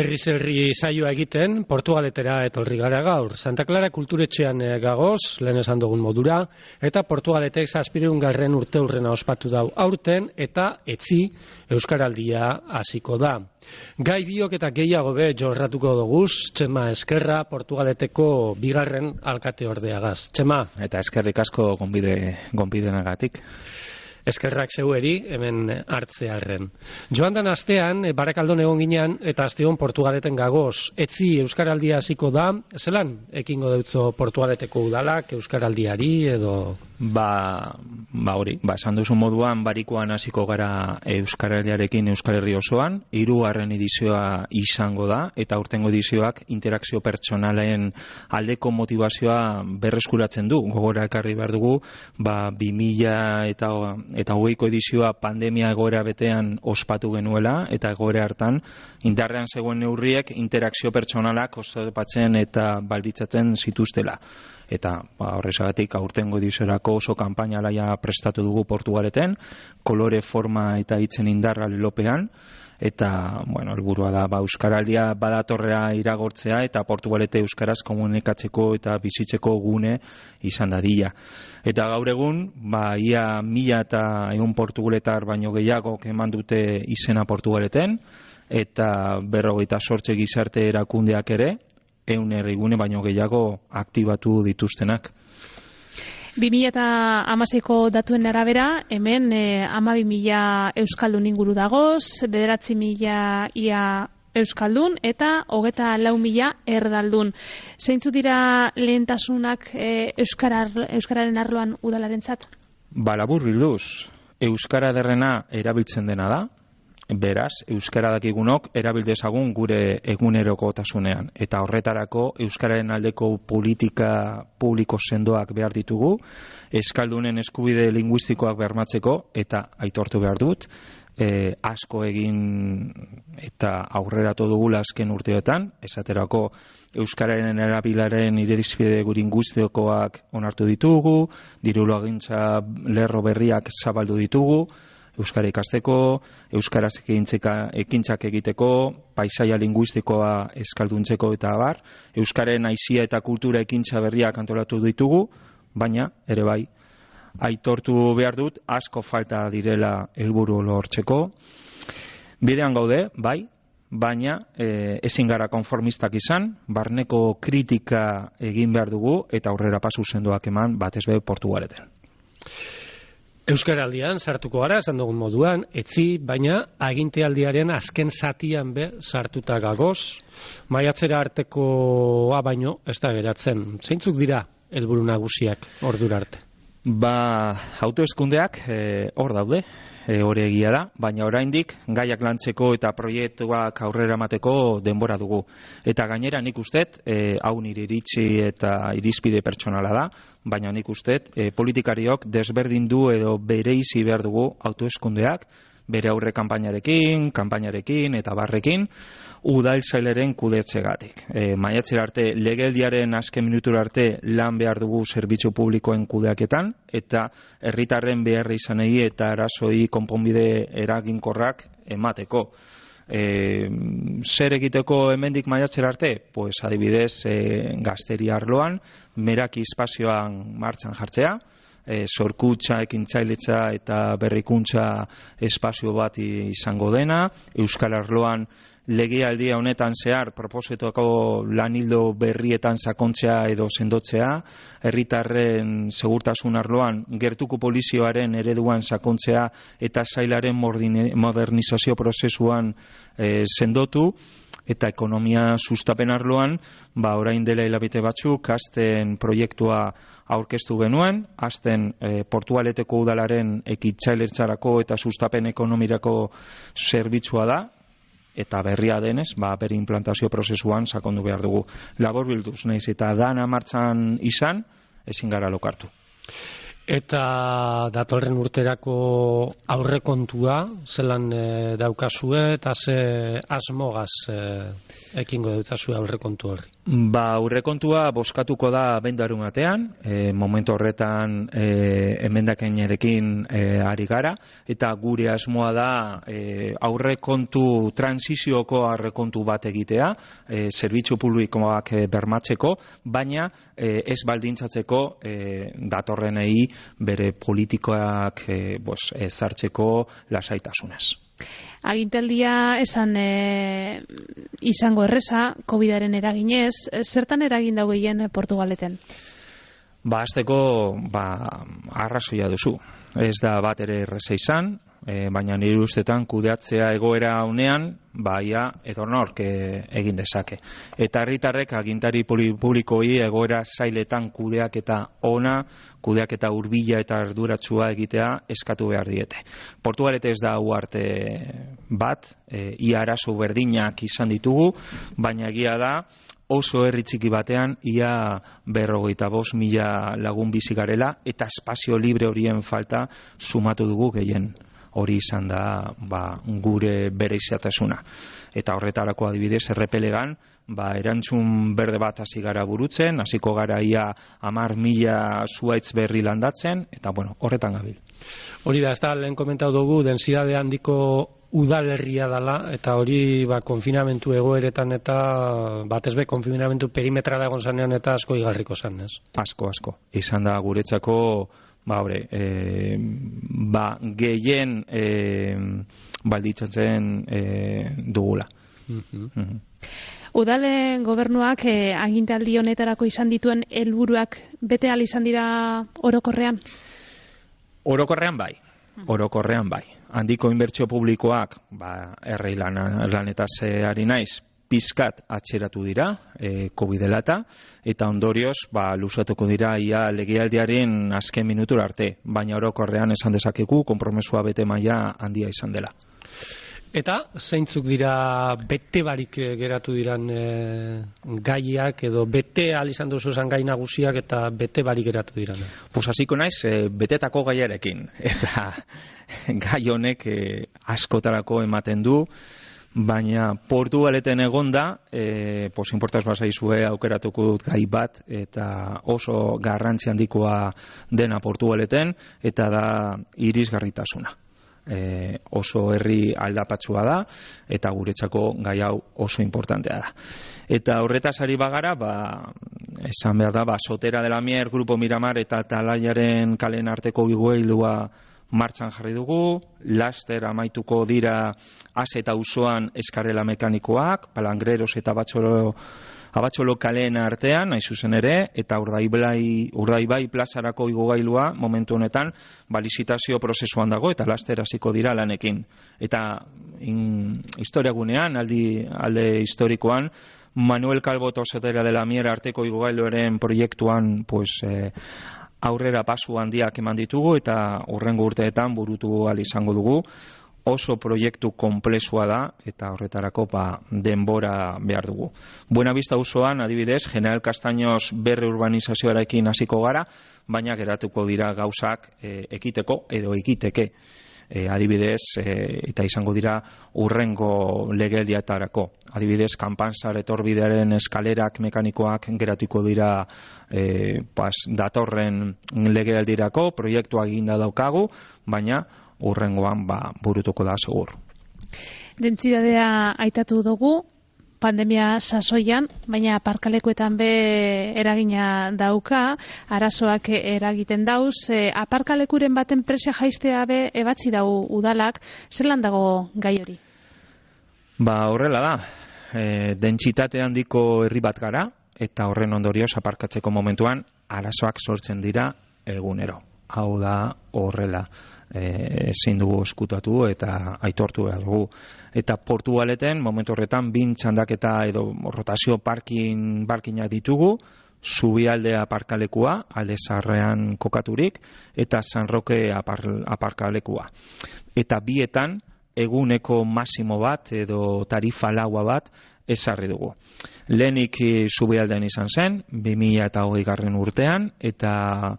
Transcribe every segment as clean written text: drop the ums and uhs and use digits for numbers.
Herriz herri saioa egiten, Portugaletera etorri gara gaur. Santa Clara kulturetxean gagoz, lehen esan dugun modura, eta Portugaletek 700. urteurrena ospatu dau aurten, eta etzi Euskaraldia hasiko da. Gai biok eta gehiago be jorratuko doguz, Txema Eskerra, Portugaleteko bigarren alkate ordeagaz. Txema. Eta eskerrik asko gonbidenagatik. Eskerrak zeueri, hemen hartzearren. Joan dan astean, Barakaldon egon ginean, eta asteon Portugaleten gagoz. Etzi Euskaraldia hasiko da, zelan ekingo deutzo Portugaleteko udalak Euskaraldiari edo... Hori, esan duzu moduan, barikoan hasiko gara Euskaraldiarekin Euskal Herri osoan, 3. edizioa izango da, eta aurtengo edizioak interakzio pertsonalen aldeko motivazioa berreskuratzen du. Gogora ekarri behar dugu, 2000 eta 20ko edizioa pandemia egoera betean ospatu genuela, eta egoera hartan indarrean zegoen neurriek interakzio pertsonalak oztopatzen eta balditzatzen zituztela. Eta horrezagatik aurtengo ediziorako oso kanpaina alaia prestatu dugu Portugaleten, kolore, forma eta hitzen indarra lelopean, eta, helburua da, Euskaraldia badatorrea iragortzea eta Portugalete euskaraz komunikatzeko eta bizitzeko gune izan dadila. Eta gaur egun, ia 1100 portugaletar baino gehiago eman dute izena Portugaleten, eta 58 gizarte erakundeak ere, 100 herrigune baino gehiago aktibatu dituztenak. 2016ko datuen arabera, hemen 12.000 euskaldun inguru dagoz, 9.000 ia euskaldun eta 24.000 erdaldun. Zeintzu dira lehentasunak euskararen arloan udalarentzat? Labur bilduz, euskara derrena erabiltzen dena da. Beraz, euskara dakigunok erabil dezagun gure egunerokotasunean, eta horretarako euskararen aldeko politika publiko sendoak behar ditugu, euskaldunen eskubide linguistikoak bermatzeko, eta aitortu behar dut, asko egin eta aurreratu dugula azken urteotan, esaterako euskararen erabilaren irizpide linguistikoak onartu ditugu, dirulagintza lerro berriak zabaldu ditugu, euskara ikasteko, euskaraz ekintzak egiteko, paisaia linguistikoa euskalduntzeko eta abar, euskaren aizia eta kultura ekintza berriak antolatu ditugu, baina ere bai, aitortu behar dut, asko falta direla helburu lortzeko. Bidean gaude, bai, baina ezin gara konformistak izan, barneko kritika egin behar dugu eta aurrera pasu sendoak eman batez be Portugaleten. Euskaraldian sartuko gara, esan dugun moduan, etzi, baina agintealdiaren azken zatian be sartuta gagoz, maiatzera artekoa baino ez da geratzen. Zeintzuk dira helburu nagusiak ordura arte? Hauteskundeak hor daude, hori egia da, baina oraindik gaiak lantzeko eta proiektuak aurrera emateko denbora dugu. Eta gainera nik ustet, hau nire iritzi eta irizpide pertsonala da, baina nik ustet, politikariok desberdindu edo bereizi behar dugu hauteskundeak, bere aurre kanpainarekin eta barrekin, udaltzaileren kudeatzegatik. Maiatzera arte, legeldiaren azken minutura arte lan behar dugu zerbitzu publikoen kudeaketan, eta herritarren beharra izanei eta arazoi konponbide eraginkorrak emateko. Zer egiteko hemendik maiatzera arte? Pues adibidez, gazteria arloan, meraki espazioan martxan jartzea, sorkutza, ekintzailetza eta berrikuntza espazio bat izango dena, Euskal Arloan legealdia honetan zehar proposetako lanildo berrietan sakontzea edo sendotzea, herritarren segurtasun arloan gertuko polizioaren ereduan sakontzea eta sailaren modernizazio prozesuan sendotu, eta ekonomia sustapen arloan, orain dela hilabete batzuk, azten proiektua aurkeztu genuen, azten Portugaleteko udalaren ekintzailetzarako eta sustapen ekonomirako zerbitzua da, eta berria denez, bere implantazio prozesuan sakondu behar dugu. Labor bilduz, nahiz eta dana martxan izan, ezin gara lokartu. Eta datorren urterako aurrekontua, zelan daukazue eta ze asmogaz ekingo deutazue aurrekontu horri? Aurrekontua bozkatuko da bendaru batean, momentu horretan emendakinerekin ari gara, eta gure asmoa da aurrekontu transizioko aurrekontu bat egitea, zerbitzu publikoak bermatzeko, baina ez baldintzatzeko datorrenei bere politikoak ezartzeko lasaitasunez. Agintaldia esan izango erreza, COVID-aren eraginez, zertan eragin dago gehien Portugaleten? Hasteko arrazoia duzu. Ez da bat ere erreza izan, baina nire ustetan kudeatzea egoera honean, ia edonork egin dezake. Eta herritarrek agintari publikoi egoera zailetan kudeaketa ona, kudeaketa hurbila eta arduratsua egitea eskatu behar diete. Portugalete ez da uarte bat, ia arazo berdinak izan ditugu, baina egia da, oso herri txiki batean ia 45.000 lagun bizi garela eta espazio libre horien falta sumatu dugu gehien. Hori izan da gure bereiziatasuna. Eta horretarako adibidez errepelegan erantzun berde bat hasi gara burutzen, hasiko gara ia 10.000 zuhaitz berri landatzen, eta horretan gabil. Hori da, ez da, lehen komentau dugu, densidade handiko udalerria dela, eta hori konfinamentu egoeretan eta batezbe konfinamentu perimetrala egon zanean eta asko igarriko zan, ez? Asko. Izan da guretzako gehien balditzatzen dugula. Udalen gobernuak agintaldi honetarako izan dituen helburuak bete ahal izan dira orokorrean? Orokorrean bai. Handiko inbertsio publikoak, herri lanetaz ari naiz, pizkat atxeratu dira, COVID dela eta ondorioz, luzatuko dira ia legealdiaren azken minutura arte, baina orokorrean esan dezakegu, konpromesua bete maila handia izan dela. Eta zeintzuk dira bete barik geratu diran gaiak edo bete ahal izan duzuzan gai nagusiak eta bete barik geratu diran? Hasiko naiz betetako gaiarekin, eta gai honek askotarako ematen du, baina Portugaleten egonda, inportaz bazaizue aukeratuko dut gai bat, eta oso garrantzi handikoa dena Portugaleten, eta da irisgarritasuna. Oso herri aldapatsua da, eta guretzako gai hau oso importantea da. Eta horretaz ari bagara, esan behar da, Sotera de la Mier, Grupo Miramar eta Talaiaren kalen arteko igoilua martxan jarri dugu, laster amaituko dira Az eta Auzoan eskarela mekanikoak, Palangreros eta Abatxolo kaleen artean, nahi zuzen ere, eta Urdaibai plazarako igogailua momentu honetan lizitazio prozesuan dago eta laster hasiko dira lanekin. Eta historiagunean, alde historikoan, Manuel Calvo eta Sotera de la Mier arteko igogailuaren proiektuan aurrera pasu handiak eman ditugu eta hurrengo urteetan burutu ahal izango dugu. Oso proiektu konplexua da eta horretarako denbora behar dugu. Buenavista auzoan, adibidez, General Castaños berre urbanizazioarekin hasiko gara, baina geratuko dira gauzak ekiteko edo ekiteke. Adibidez, eta izango dira urrengo legealdiatarako. Adibidez, Kanpansar etorbidearen eskalerak mekanikoak geratuko dira datorren legealdirako, proiektua eginda daukagu, baina urrengoan burutuko da segur. Dentsidadea aitatu dugu, pandemia sasoian, baina aparkalekuetan eragina dauka, arazoak eragiten dauz, aparkalekuren baten presia jaistea ebatzi dau udalak, zelan dago gai hori? Horrela da, dentsitate handiko herri bat gara, eta horren ondorioz aparkatzeko momentuan arazoak sortzen dira egunero. Hau da horrela, ezin dugu eskutatu eta aitortu behar dugu. Eta Portugaleten, momentu horretan, 2 txandaketa edo rotazio parkinak ditugu, Zubialdea aparkalekua, alde zaharrean kokaturik, eta San Roque aparkalekua. Eta bietan, eguneko masimo bat edo tarifa laua bat ezarri dugu. Lehenik Zubialdean izan zen, 2020 urtean, eta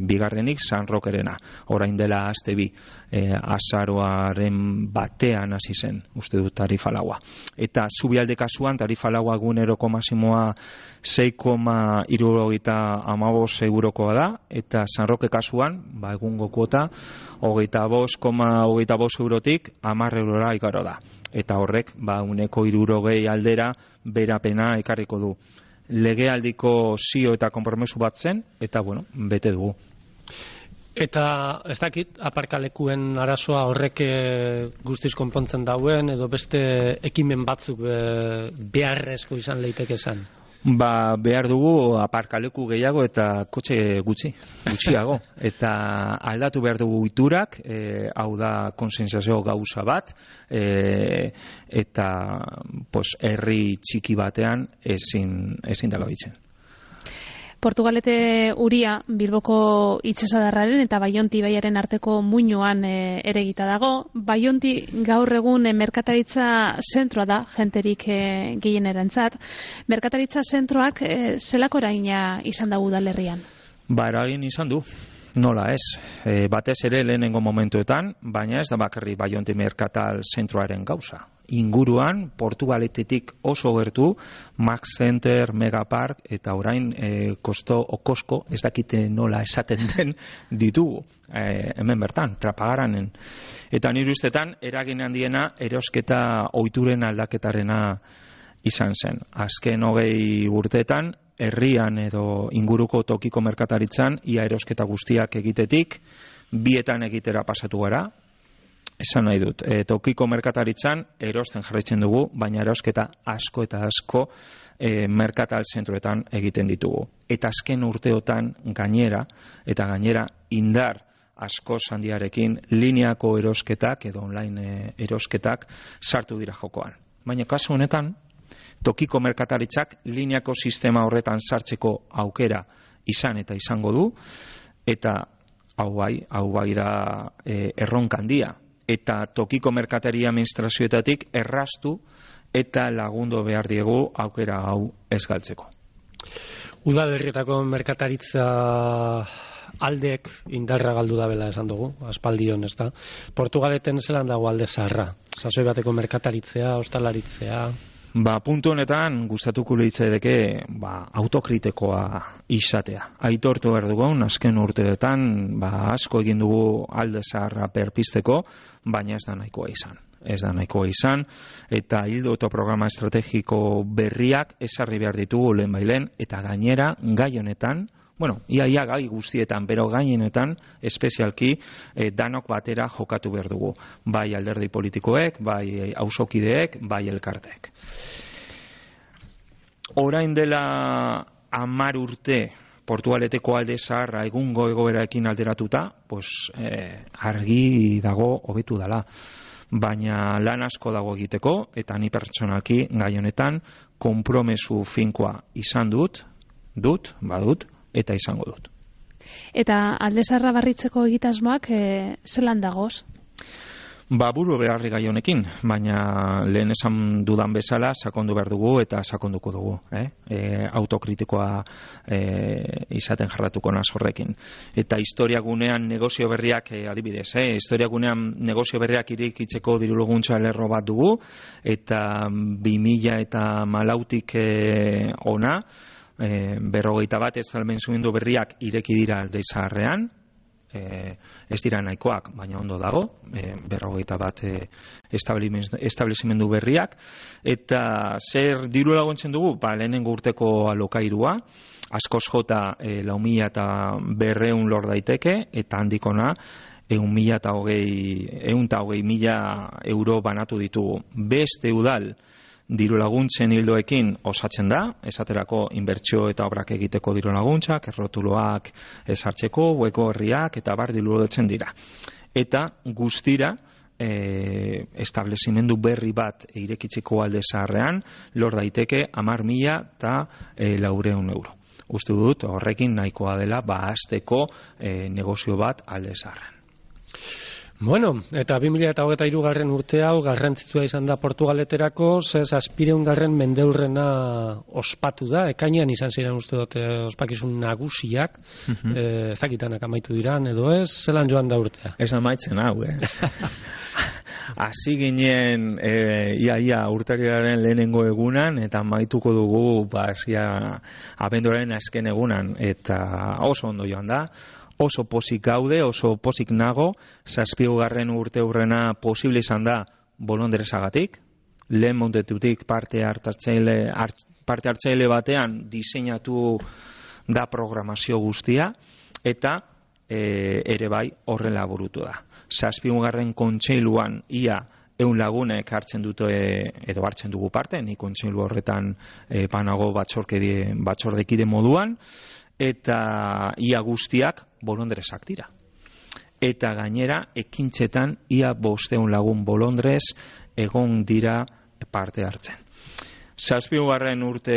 bigarrenik San Rokerena. Orain dela aste bi, azaroaren batean hasi zen, uste dut tarifa laua. Eta Zubialde kasuan tarifa laua eguneroko masimoa 6,75 eurokoa da, eta San Roke kasuan, egungo kuota, 25,25 eurotik 10 eurora igaro da. Eta horrek, uneko 60 aldera berapena ekarriko du. Legealdiko zio eta konpromesu bat zen, eta bete dugu. Eta ez dakit, aparkalekuen arazoa horrek guztiz konpontzen dauen, edo beste ekimen batzuk beharrezko izan leiteke esan? Behar dugu aparkaleku gehiago eta kotxe gutxiago. Eta aldatu behar dugu iturak, hau da konsentsazio gauza bat, eta herri txiki batean ezin dela bitzen. Portugalete uria Bilboko itsasadarraren eta Baionti ibaiaren arteko muinoan eregita dago. Baionti gaur egun merkataritza zentroa da, jenterik gehienerentzat. Merkataritza zentroak zelako eragina izan da udalerrian? Eragin izan du. Nola ez, batez ere lehenengo momentuetan, baina ez da bakarri Baionti merkatal zentroaren gauza. Inguruan, Portugaletetik oso gertu, Max Center, Megapark, eta orain Kosko, ez dakite nola esaten den ditugu, hemen bertan, Trapagaranen. Eta nire ustetan, eragin handiena erosketa ohituren aldaketarena izan zen. Azken 20 urteetan, herrian edo inguruko tokiko merkataritzan, ia erosketa guztiak egitetik, bietan egitera pasatu gara. Esan nahi dut, tokiko merkataritzan erosten jarraitzen dugu, baina erosketa asko eta asko merkatal zentroetan egiten ditugu. Eta azken urteotan gainera indar asko handiarekin lineako erosketak edo online erosketak sartu dira jokoan. Baina kasu honetan, tokiko merkataritzak lineako sistema horretan sartzeko aukera izan eta izango du, eta hau bai da erronka handia. Eta tokiko merkateria administrazioetatik erraztu eta lagundu behar diegu aukera hau ez galtzeko. Udalerrietako merkataritza aldeek indarra galdu dabela esan dugu, aspaldion, ez da. Portugaleten zelan dago alde zaharra? Sasoi bateko merkataritzea, ostalaritzea... Puntu honetan gustatuko litzaidake autokritikoa izatea. Aitortu behar dugun, azken urteetan asko egin dugu alde zaharra perpisteko, baina ez da nahikoa izan. Eta ildo eta programa estrategiko berriak ezarri behar ditugu lehenbailen, eta gainera gai honetan, ia gai guztietan, bero gainenetan, espezialki, danok batera jokatu behar dugu. Bai alderdi politikoek, bai auzokideek, bai elkarteek. Orain dela 10 urte, Portugaleteko alde zaharra egungo egoeraekin alderatuta, argi dago hobetu dela. Baina lan asko dago egiteko, eta ni pertsonalki gai honetan konpromesu finkoa izan dut, eta izango dut. Eta alde zaharra barritzeko egitasmoak zelan dagoz? Buru beharri gai honekin, baina lehen esan dudan bezala sakondu behar dugu eta sakonduko dugu. Autokritikoa izaten jarratuko naz horrekin. Eta historiagunean negozio berriak, adibidez, historiagunean negozio berriak irekitzeko dirulaguntza lerro bat dugu, eta 2014tik ona, 51 estalmendu berriak ireki dira alde zaharrean, ez dira nahikoak, baina ondo dago, 51 establezimendu berriak, eta zer diru laguntzen dugu? Lehenengo urteko alokairua, askoz jota 4.200 lor daiteke, eta handikona 120.000 euro banatu ditugu. Beste udal diru laguntzen hildoekin osatzen da, esaterako inbertsio eta obrak egiteko diru laguntzak, errotuloak ezartzeko, hueko herriak eta bar diru laguntzen dira. Eta guztira, establezimendu berri bat irekitzeko alde zaharrean, lor daiteke 10.400 euro. Uste dut, horrekin nahikoa dela, hasteko negozio bat alde zaharrean. Bueno, eta 2023 urte hau garrantzitsua izan da Portugaleterako, ze 700. mendeurrena ospatu da, ekainean izan ziren uste dut ospakizun nagusiak, ez dakitanak amaitu diran, edo ez, zelan joan da urtea? Ez amaitzen hau, Hasi ginen ia urtarrilaren lehenengo egunan eta amaituko dugu abenduaren azken egunan, eta oso ondo joan da. Oso pozik gaude, oso pozik nago, 7. urteurrena posible izan da bolondresagatik, lehen montetutik parte hartzaile batean diseinatu da programazio guztia, eta ere bai horrela burutu da. 7. kontseiluan ia 100 lagunek hartzen dute edo hartzen dugu parte, ni kontseilu horretan banago batzordekide moduan, eta ia guztiak bolondresak dira. Eta gainera, ekintzetan ia 500 lagun bolondrez egon dira parte hartzen. 7. urte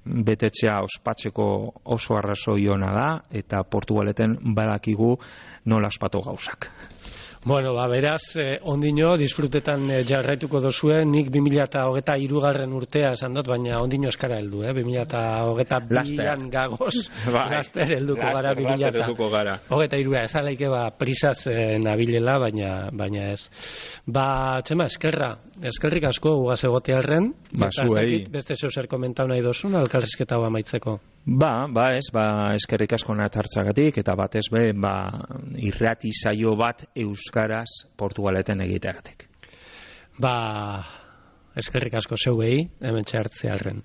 betetzea ospatzeko oso arrazoi ona da, eta Portugaleten badakigu nola ospatu gauzak. Bueno, beraz, ondino, disfrutetan jarraituko dozue, nik 2023 urtea esan dut, baina ondino eskara heldu, 2022an gagoz, laster helduko gara 2023. Ez alaike prisaz nabilela, baina ez. Txema, eskerrik asko gugaz egotearren, beste zer komentau nahi dozun, alkarrizketa hau amaitzeko. Eskerrik asko natartzagatik, eta batez irrati saio bat euskaraz Portugaleten egiteagatik. Eskerrik asko zeuei, hemen txartzearren.